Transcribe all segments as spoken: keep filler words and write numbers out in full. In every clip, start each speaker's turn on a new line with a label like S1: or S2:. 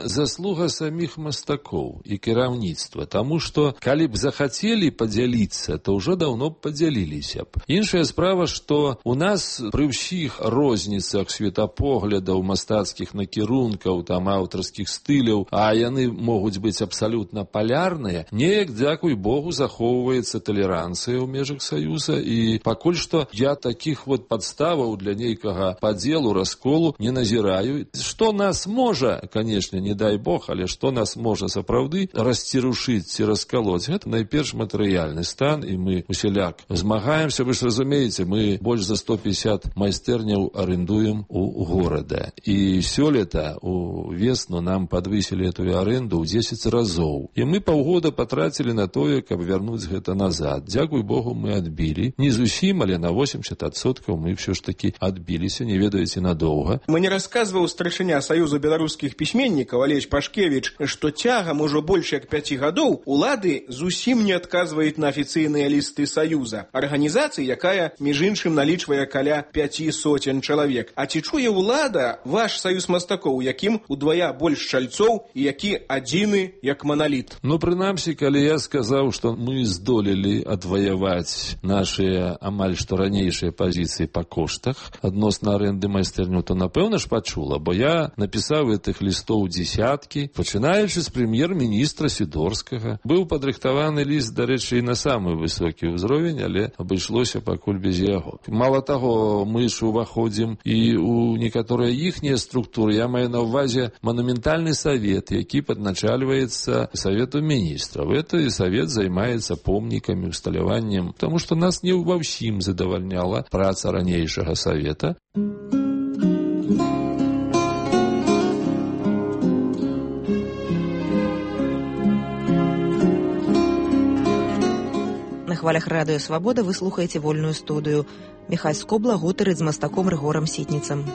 S1: заслуга самих мастакоў і кіраўніцтва, таму што калі б захацелі падзяліцца, то ўжо даўно б падзяліліся б. Іншая справа, што у нас пры ўсіх розніцах светапоглядаў, мастацкіх накірункаў, там аўтарскіх стыляў, а яны могуць быць абсалютна палярныя, неяк, дзякуй Богу, захоўваецца талеранцыя ў межах Саюза, і пакуль што я такіх вот падставаў для нейкага падзелу, расколу не назіраю. Што нас можа, канешне, не дай Бог, але што нас можа сапраўды расцерушыць ці раскалоць, гэта найперш матэрыяльны стан, і мы усяляк змагаемся. Вы ж разумееце, мы больш за сто пятьдесят майстэрняў арендуем у горада. І сёлета у весну нам падвысілі эту аренду ў дзесяць разоў. І мы паўгода патрацілі на тое, каб вярнуць гэта назад. Дзякуй Богу, мы адбілі. Не зусім, але на восемьдесят адсоткаў мы ўсё ж такі адбіліся, не ведаеце, надоўга.
S2: Мне расказваў старшыня Саюза беларускіх пісьменнікаў Алесь Пашкевіч, што цягам ужо больш як пяці гадоў улады зусім не адказваюць на афіцыйныя лісты Саюза, арганізацыі, якая, між іншым, налічвае каля пяці соцень чалавек. А ці чуе ўлада ваш саюз мастакоў, якім удвая больш чальцоў і які адзіны як маналіт?
S1: Ну, прынамсі, калі я сказаў, што мы здолелі адваяваць нашыя амаль што ранейшыя пазіцыі па коштах адносна арэнды майстэрняў, то напэўна ж пачула, бо я напісаў гэтых лістоў дзесяткі, пачынаючы з прэм'ер-міністра Сідорскага. Быў падрыхтаваны ліст, дарэчы, і на самы высокі ўзровень, але абышлося пакуль без яго. Мала таго, мы ж уваходзім і ў некаторыя іхнія структуры. Я маю на ўвазе манументальны савет, які падначальваецца Савету міністраў. Это і савет займаецца помнікамі, усталяваннем, таму што нас не ва ўсім задавальняла праца ранейшага савета.
S3: На хвалях радыё Свабода вы слухаеце вольную студыю. Міхась Скобла гутарыць з мастаком Рыгорам Сітніцам.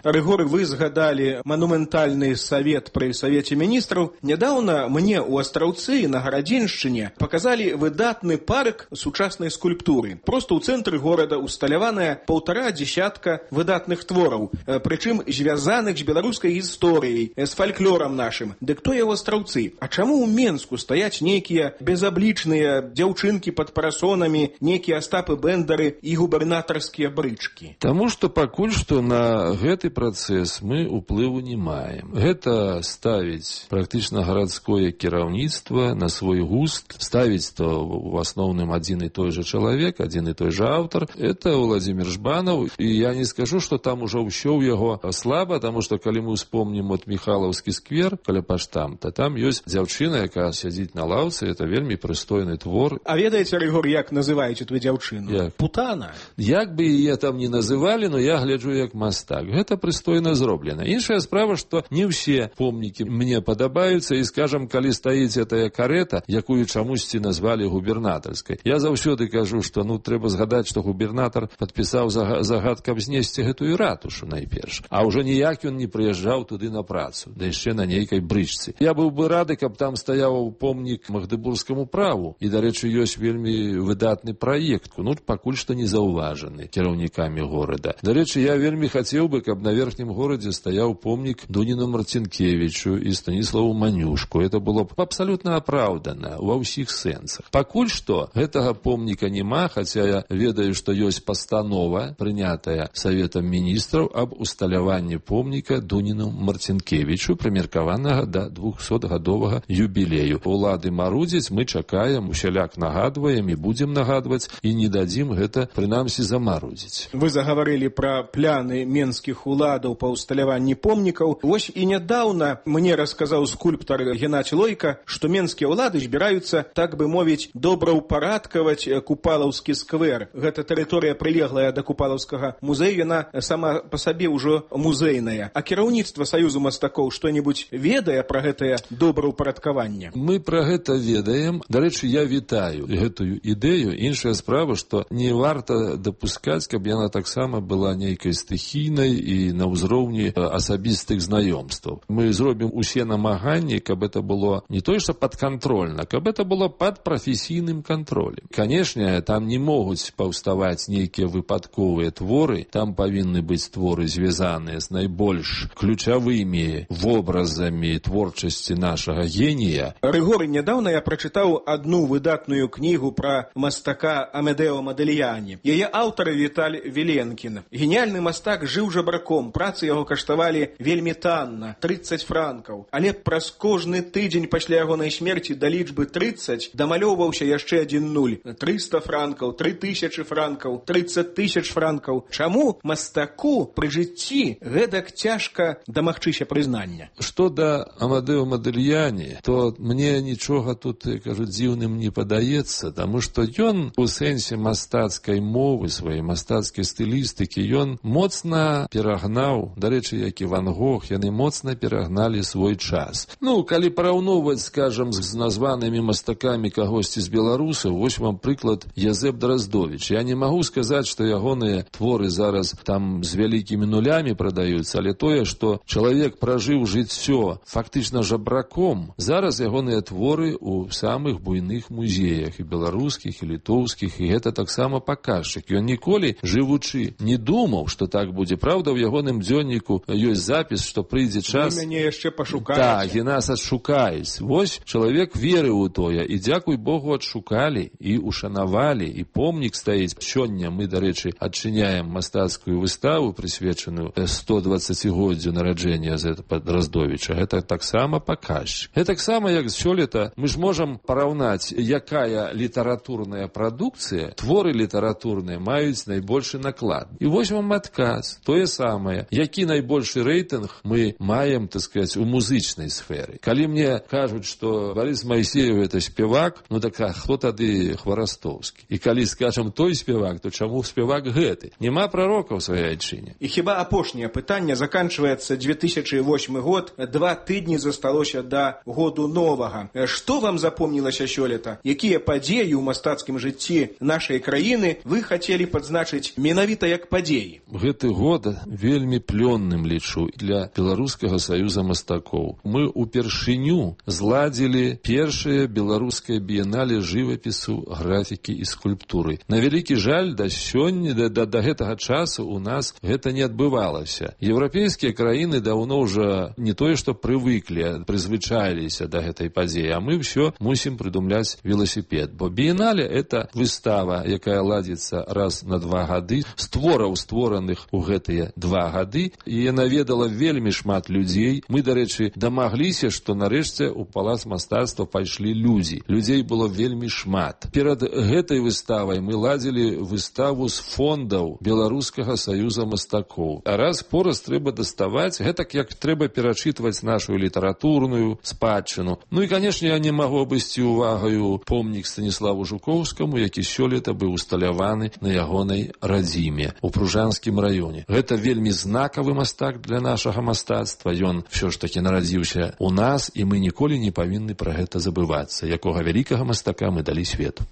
S2: Рыгор, вы згадалі манументальны савет пры Савеце міністраў. Нядаўна мне ў Астраўцы на Гарадзеншчыне паказалі выдатны парк сучаснай скульптуры. Проста ў цэнтры горада усталяваная паўтара дзесятка выдатных твораў, прычым звязаных з беларускай гісторыяй, з фальклорам нашым. Дык то я ў Астраўцы. А чаму ў Менску стаяць нейкія безаблічныя дзяўчынкі пад парасонамі, нейкія Астапы Бэндары і губернатарскія брычкі?
S1: Таму што пакуль што на гэты працэс мы ўплыву не маем. Гэта ставіць практычна гарадское кіраўніцтва на свой густ, ставіць то в асноўным адзін і той жа чалавек, адзін і той жа аўтар. Это Владзімір Жбанаў, і я не скажу, што там ужо ўсё ў яго слаба, таму што калі мы ўспомнім от Міхалаўскі сквер каля паштамта, там ёсць дзяўчына, якая сядзіць на лаўцы, это вельмі прыстойны твор.
S2: А ведаеце, Рыгор, як называеце твою дзяўчыну?
S1: Як?
S2: Путана.
S1: Як бы яе там не называлі, но я гляджу як мастак. Гэта прыстойна зроблена. Іншая справа, што не ўсе помнікі мне падабаюцца, і, скажам, калі стаіць гэтая карета, якую чамусьці назвалі губернатарскай. Я заўсёды кажу, што ну трэба згадаць, што губернатар падпісаў загад, каб знесці гэтую ратушу найперш. А ўжо ніяк ён не прыязджаў туды на працу, да яшчэ на нейкай брычцы. Я быў бы рады, каб там стаяў помнік Магдыбургскаму праву, і, дарэчы, ёсць вельмі выдатны праект, ну пакуль што не заўважаны кіраўнікамі горада. Дарэчы, я вельмі хацеў бы, каб на верхнім горадзе стаяў помнік Дуніну Марцінкевічу і Станіславу Манюшку. Это было б абсалютна апраўдана ва ўсіх сэнсах. Пакуль што гэтага помніка няма, хаця я ведаю, што ёсць пастанова, прынятая Саветам міністраў аб усталяванні помніка Дуніну Марцінкевічу, прымеркаванага да двухсотгадовага юбілею. Улады марудзяць, мы чакаем, усяляк нагадваем і будзем нагадваць, і не дадзім гэта, прынамсі, замарудзіць.
S2: Вы загаварылі пра пляны менскіх уладаў па ўсталяванні помнікаў. Вось і нядаўна мне расказаў скульптар Геннадзь Лойка, што менскія ўлады збіраюцца, так бы мовіць, добраўпарадкаваць Купалаўскі сквер. Гэта тэрыторыя прылеглая да Купалаўскага музею, яна сама па сабе ўжо музейная. А кіраўніцтва Саюзу мастакоў што-небудзь ведае пра гэтае добраўпарадкаванне?
S1: Мы пра гэта ведаем. Дарэчы, я вітаю гэтую ідэю. Іншая справа, што не варта дапускаць, каб яна таксама была нейкай стыхійнай і і на ўзроўні асабістых знаёмстваў. Мы зробім усе намаганні, каб это было не то, што падкантрольна, каб это было пад прафесійным кантролем. Канешне, там не могуць паўставаць нейкія выпадковыя творы, там павінны быць творы, звязаныя з найбольш ключавымі вобразамі творчасці нашага генія.
S2: Рыгоры, нядаўна я прачытаў адну выдатную кнігу пра мастака Амедео Модельяні. Яе аўтар Віталь Віленкін. Геніяльны мастак жыў жабраком, працы яго каштавалі вельмі танна, трыццаць франкаў. Але праз кожны тыдзень пасля ягонай смерці да лічбы трыццаць дамалёўваўся яшчэ адзін нуль. трыста франкаў, тры тысячы франкаў, трыццаць тысяч франкаў. Чаму мастаку пры жыцці гэтак цяжка дамагчыся прызнання?
S1: Што да Амадео Модельяні, то мне нічога тут, кажуць, дзіўным не падаецца, таму што ён у сэнсе мастацкай мовы, сваёй мастацкай стылістыкі, ён моцна перагнаў, дарэчы, як і Ван Гог, яны моцна перагналі свой час. Ну, калі параўноўваць, скажам, з названымі мастакамі кагосьці з беларусаў, вось вам прыклад Язэп Драздовіч. Я не магу сказаць, што ягоныя творы зараз там з вялікімі нулямі прадаюцца, але тое, што чалавек пражыў жыццё фактычна жабраком, зараз ягоныя творы ў самых буйных музеях, і беларускіх, і літоўскіх, і гэта таксама паказчык. Ён ніколі, жывучы, не думаў, што так будзе. Праўда, ў ягоным дзённіку ёсць запіс, што прыйдзе час...
S2: Вы мяне яшчэ пашукаеце.
S1: Так, і нас адшукаюць. Вось чалавек верыў у тое, і, дзякуй Богу, адшукалі, і ушанавалі, і помнік стаіць. Сёння мы, дарэчы, адчыняем мастацкую выставу, прысвечаную сто дваццацігоддзю нараджэння Язэпа Драздовіча. Гэта таксама паказчык. Гэта таксама, як сёлета, мы ж можам параўнаць, якая літаратурная прадукцыя, творы літаратурныя маюць найбольшы наклад. І вось вам адказ. Тое самае. Які найбольшы рэйтынг мы маем, так сказаць, у музычнай сферы. Калі мне кажуць, што Барыс Майсеев это спевак, ну так а хто тады Хварастоўскі? І калі скажам той спевак, то чаму спевак гэты? Няма прарока ў сваёй айчыне.
S2: І хіба апошняе пытанне, заканчваецца две тысячы восьмы год, два тыдні засталося да году новага. Што вам запомнілася сёлета? Якія падзеі ў мастацкім жыцці нашай краіны вы хацелі падзначыць менавіта як падзеі?
S1: Гэты год вельмі плённым лічу для Беларускага саюза мастакоў. Мы упершыню зладзілі першае беларускае біенале жывапісу, графікі і скульптуры. На вялікі жаль, да сёння, да, да, да гэтага часу у нас гэта не адбывалася. Еўрапейскія краіны даўно ўжо не тое, што прывыклі, прызвычаіліся да гэтай падзеі, а мы ўсё мусім прыдумляць веласіпед. Бо біенале — это выстава, якая ладзіцца раз на два гады, з твораў, створаных у гэтыя два гады, і яна ведала вельмі шмат людзей. Мы, дарэчы, дамагліся, што нарэшце ў палац мастацтва пайшлі людзі. Людзей было вельмі шмат. Перад гэтай выставай мы ладзілі выставу з фондаў Беларускага саюза мастакоў. А раз пораз трэба даставаць, гэтак як трэба перачытваць нашу літаратурную спадчыну. Ну і, канешне, я не магу абысці увагаю помнік Станіславу Жукоўскаму, які сёлета быў усталяваны на ягонай радзіме у Пружанскім раёне. Гэта вельмі знакавы мастак для нашага мастацтва. Ён всё ж такі нарадзіўся у нас, і мы ніколі не павінны пра гэта забывацца, якога вялікага мастака мы далі свету.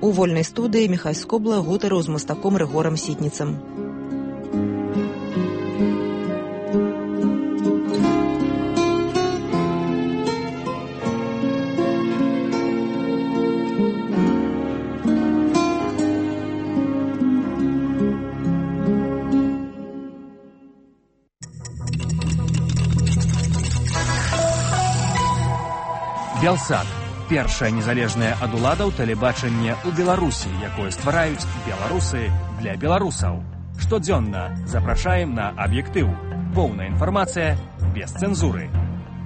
S3: У вольнай студыі Міхась Скобла гутарыў з мастаком Рыгорам Сітніцам.
S4: Белсат – першае незалежнае ад уладаў тэлебачанне ў Беларусі, якое ствараюць беларусы для беларусаў. Штодзённа запрашаем на аб'ектыў. Поўная інфармацыя без цэнзуры.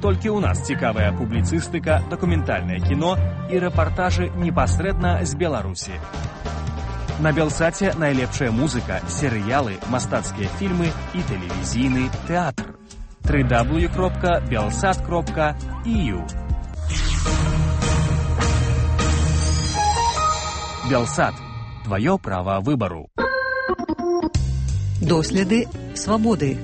S4: Толькі ў нас цікавая публіцыстыка, дакументальнае кіно і рэпартажы непасрэдна з Беларусі. На Белсаце найлепшая музыка, серыялы, мастацкія фільмы і тэлевізійны тэатр. дабл ю дабл ю дабл ю крапка белсат крапка і ю. Белсат. Твое право выбору.
S3: Доследы свободы.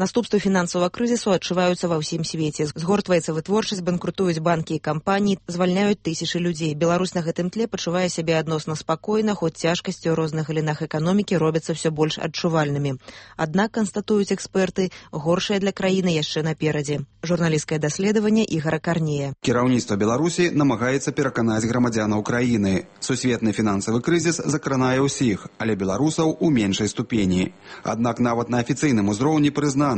S3: Наступствы фінансавага крызісу адчуваюцца ва ўсім свеце. Згортваецца вытворчасць, банкрутуюць банкі і кампаніі, звальняюць тысячы людзей. Беларусь на гэтым тле пачувае сябе адносна спакойна, хоць цяжкасці ў розных галінах эканомікі робяцца ўсё больш адчувальнымі. Аднак, канстатуюць эксперты, горшае для краіны яшчэ наперадзе. Журналісцкае даследаванне Ігора Карнея.
S5: Кіраўніцтва Беларусі намагаецца пераканаць грамадзянаў краіны. Сусветны фінансавы крызіс закранае ўсіх, але беларусаў у меншай ступені. Аднак нават на афіцыйным узроўні прызнана,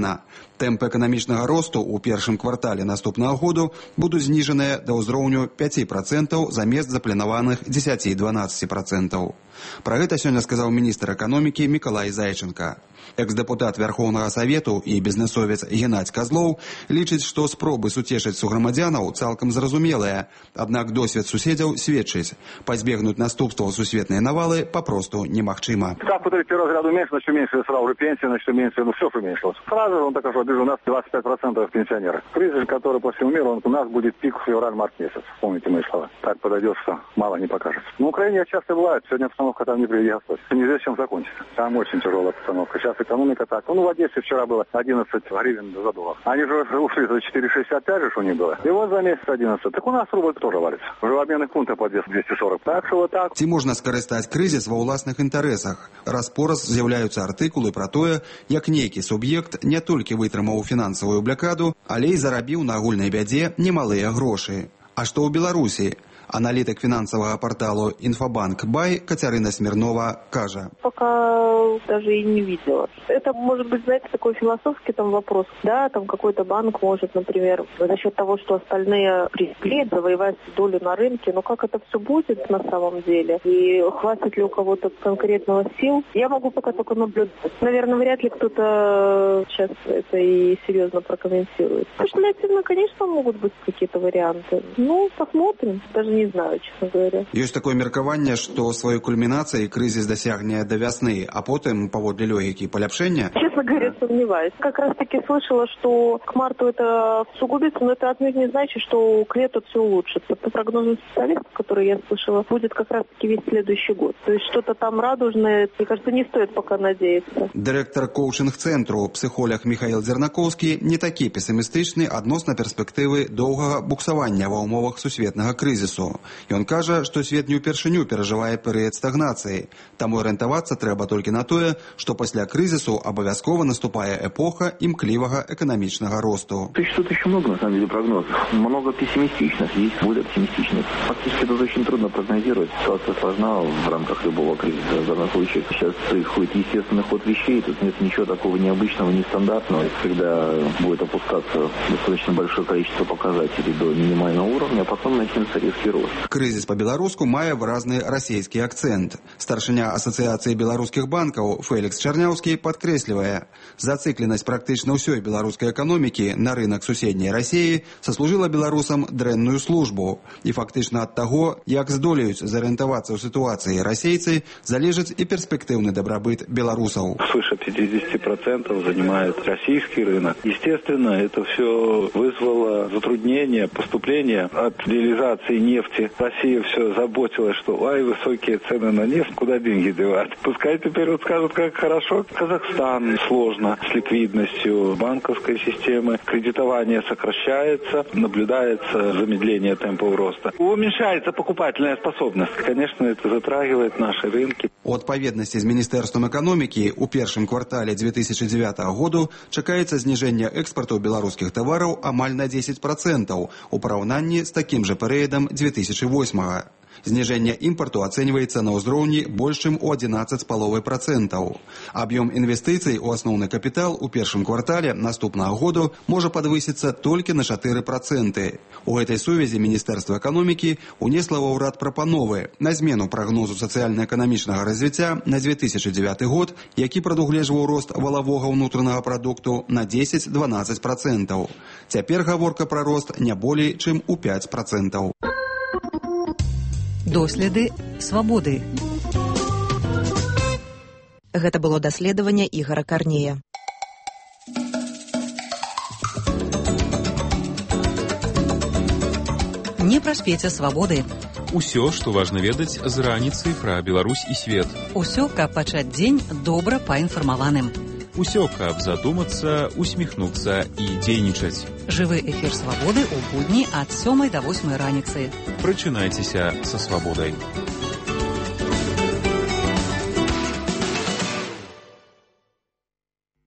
S5: тэмпы эканамічнага росту ў першым квартале наступнага году будуць зніжаныя да ўзроўню пяць працэнтаў замест запланаваных дзесяць-дванаццаць працэнтаў. Пра гэта сёння сказаў міністр эканомікі Мікалай Зайченка. Экс-дэпутат Вярхоўнага Савету і бізнесовец Геннадзь Казлоў лічыць, што спробы суцешыць суграмадзянаў цалкам зразумелыя, аднак досвед суседзяў сведчыць, пазбегнуць наступстваў сусветнай навалы папросту немагчыма.
S6: Ставку третьего разряда уменьшилось, значит уменьшилось сразу же пенсия, значит уменьшилось, ну все уменьшилось. Сразу же он так что у нас двадцать пять процентов пенсионеров. Кризис, который по всему миру, он, у нас будет пик в февраль-март месяц. Помните мои слова. Так подойдет, что мало не покажется. Но в Украине часто бывает, сегодня обстановка там не приведи Господь. Неизвестно, чем закончится. Там очень тяжелая обстановка. Сейчас экономика так. Ну, в Одессе вчера было одиннадцать гривен за доллар. Они же ушли за четыре шестьдесят пять же у них было. И вот за месяц одиннадцать. Так у нас рубль тоже валится. Уже в обменных пунктах по двести сорок. Так что вот так.
S5: Ці можна скарыстаць крызіс ва ўласных інтарэсах? Раз-пораз з'яўляюцца артыкулы пра тое, як нейкі суб'ект не толькі вытрымаў фінансавую блакаду, але і зарабіў на агульнай бядзе немалыя грошы. А што ў Беларусі? Аналитик финансового портала «Инфобанк Бай» Катерина Смирнова кажа.
S7: Пока даже и не видела. Это может быть, знаете, такой философский там вопрос. Да, там какой-то банк может, например, за счет того, что остальные пришли, завоевать долю на рынке. Но как это все будет на самом деле? И хватит ли у кого-то конкретного сил? Я могу пока только наблюдать. Наверное, вряд ли кто-то сейчас это и серьезно прокомментирует. Спекулятивно, конечно, могут быть какие-то варианты. Ну, посмотрим. Даже не знаю, честно говоря.
S5: Есть такое меркаванне, что свою кульминацию кризис досягнет до весны, а потом, поводле логики, поляпшения?
S7: Честно говоря, сомневаюсь. Как раз таки слышала, что к марту это всугубится, но это отнюдь не значит, что к лету все улучшится. По прогнозам специалистов, которые я слышала, будет как раз таки весь следующий год. То есть что-то там радужное, мне кажется, не стоит пока надеяться.
S5: Директор коучинг-центру, психолог Михаил Зернаковский, не такі пессимистичный адносно перспективы доўгага буксавання ва ўмовах сусветнага крызісу. Ён кажа, што свет не ўпершыню перажывае перыяд стагнацыі, таму арыентавацца трэба толькі на тое, што пасля крызісу абавязкова наступае эпоха імклівага эканамічнага росту.
S6: Существует еще много, на самом деле, прогнозов. Много пессимистичных, есть более оптимистичных. Фактически это очень трудно прогнозировать. Ситуация сложна в рамках любого кризиса. В данном случае сейчас происходит естественный ход вещей, тут нет ничего такого необычного, нестандартного. Когда будет опускаться достаточно большое количество показателей до минимального уровня, а потом начнется резкий рост.
S5: Крызіс па-беларуску мае выразны расійскі акцэнт. Старшыня Асацыяцыі беларускіх банкаў Фелікс Чарняўскі падкрэслівае, зацыкленасць практычна ўсёй беларускай эканомікі на рынак суседняй Расіі саслужыла беларусам дрэнную службу. І фактычна ад таго, як здолеюць зарыентавацца ў сітуацыі расейцы, залежыць і перспектыўны дабрабыт беларусаў.
S6: Свыше пятьдесят процентов занимает российский рынок. Естественно, это все вызвало затруднение поступления от реализации нефти. Россия все заботилась, что ай, высокие цены на нефть, куда деньги девать. Пускай теперь вот скажут, как хорошо. Казахстан сложно с ликвидностью банковской системы. Кредитование сокращается, наблюдается замедление темпов роста. Уменьшается покупательная способность. Конечно, это затрагивает наши рынки.
S5: У адпаведнасці з Міністэрствам эканомікі у першым квартале две тысячи девятого году чакаецца зніжэнне экспарту беларускіх тавараў амаль на десять процентов у параўнанні з такім жа перыядам две тысячи восьмого. Зніжэнне імпарту ацэньваецца на ўзроўні больш чым у адзінаццаць з паловай процентаў. Аб'ём інвестыцый у асноўны капітал у першым квартале наступнага году можа падвысіцца толькі на чатыры проценты. У гэтай сувязі Міністэрства эканомікі унесла ва ўрад прапановы на змену прагнозу сацыяльна-эканамічнага развіцця на две тысячи девятый год, які прадугледжваў рост валавога ўнутранага прадукту на дзесяць-дванаццаць процентаў. Цяпер гаворка пра рост не болей, чым у пяць процентаў.
S3: Доследы свабоды. Гэта было даследаванне Ігора Карнея. Не праспеце свабоды.
S8: Усё, што важна ведаць з раніцы пра Беларусь і свет.
S9: Усё, каб пачаць дзень добра паінфармаваным.
S8: Усё, каб задумацца, усміхнуцца і дзейнічаць.
S9: Жывы эфір свабоды ў будні ад сёмай да восьмай раніцы.
S8: Прачынайцеся са свабодай.